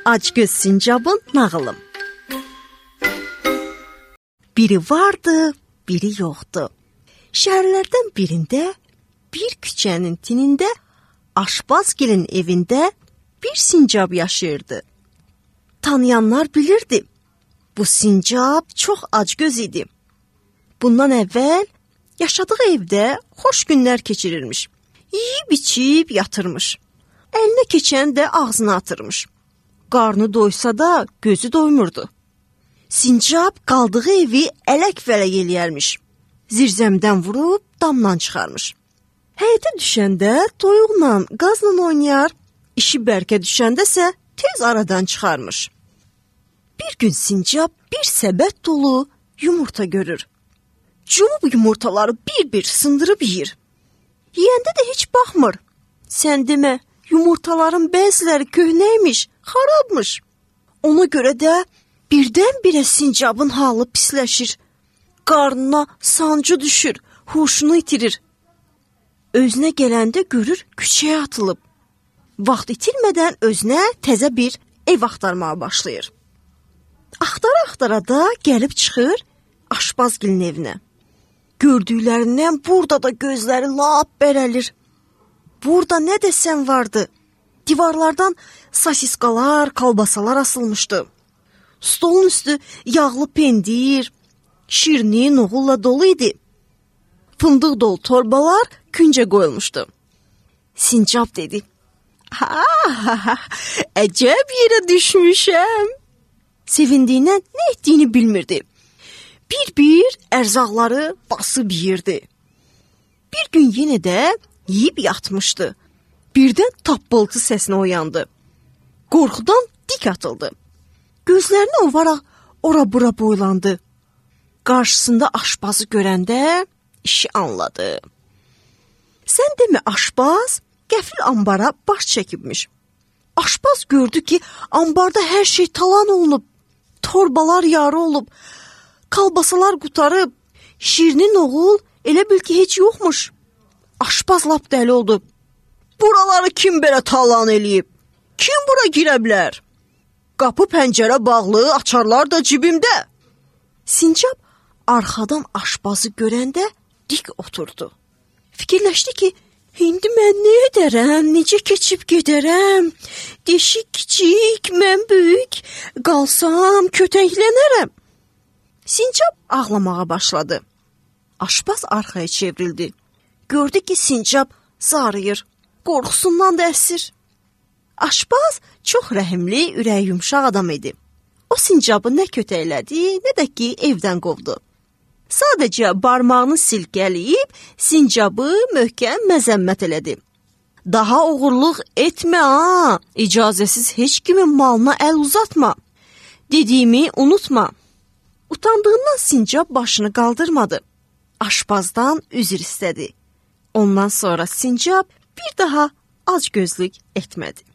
Acgöz Sincabın nağılı. Biri vardı, biri yoxdu. Şəhərlərdən birində, bir küçənin tinində, aşpazgilin evində bir sincab yaşayırdı. Tanıyanlar bilirdi, bu sincab çox acgöz idi. Bundan əvvəl yaşadığı evdə xoş günlər keçirirmiş. Yeyib-içib yatırmış. Əlinə keçən də ağzına atırmış. Qarnı doysa da gözü doymurdu. Sincab qaldığı evi ələk-vələk eləyərmiş. Zirzəmdən vurub damdan çıxarmış. Həyətə düşəndə toyuqla, qazla oynayar, işi bərkə düşəndəsə tez aradan çıxarmış. Bir gün sincab bir səbət dolu yumurta görür. Cumub yumurtaları bir-bir sındırıb yeyir. Yeyəndə də heç baxmır. Sən demə, yumurtaların bəziləri köhnəymiş, xarabmış. Ona görə də birdən-birə sincabın halı pisləşir. Qarnına sancı düşür, huşunu itirir. Özünə gələndə görür küçəyə atılıb. Vaxt itirmədən özünə təzə bir ev axtarmağa başlayır. Axtara-axtara da gəlib çıxır aşpazgilin evinə. Gördüklərindən burada da gözləri lap bərəlir. Burada nə desən vardı. Divarlardan sosiskalar, kalbasalar asılmışdı. Stolun üstü yağlı pendir, şirni, noğulla dolu idi. Fındıq dolu torbalar küncə qoyulmuşdu. Sincab dedi, əcəb yerə düşmüşəm. Sevindiyindən nə etdiyini bilmirdi. Bir-bir ərzaqları basıb yeyirdi. Bir gün yenə də yeyib yatmışdı. Birdən tappıltı səsinə oyandı. Qorxudan dik atıldı. Gözlərini ovaraq ora-bura boylandı. Qarşısında aşpazı görəndə işi anladı. Sən demə aşpaz qəfil ambara baş çəkibmiş. Aşpaz gördü ki, ambarda hər şey talan olunub. Torbalar yarı olub. Kalbasalar qutarıb. Şirinin oğul elə bil ki, heç yoxmuş. Aşpaz lap dəli oldu. Buraları kim belə talan eləyib? Kim bura girə bilər? Qapı pəncərə bağlı, açarlar da cibimdə. Sincab arxadan aşpazı görəndə dik oturdu. Fikirləşdi ki, indi mən nə edərəm, necə keçib gedərəm? Deşik kiçik, mən böyük, qalsam kötəklənərəm. Sincab ağlamağa başladı. Aşpaz arxaya çevrildi. Gördü ki, sincab zarıyır, qorxusundan da əsir. Aşpaz çox rəhimli, ürəyi yumşaq adam idi. O sincabı nə kötəklədi, nə də ki, evdən qovdu. Sadəcə barmağını silkələyib, sincabı möhkəm məzəmmət elədi. Daha oğurluq etmə ha, icazəsiz heç kimin malına əl uzatma. Dediyimi unutma. Utandığından sincab başını qaldırmadı. Aşpazdan üzr istədi. Ondan sonra sincab bir daha acgözlük etmədi.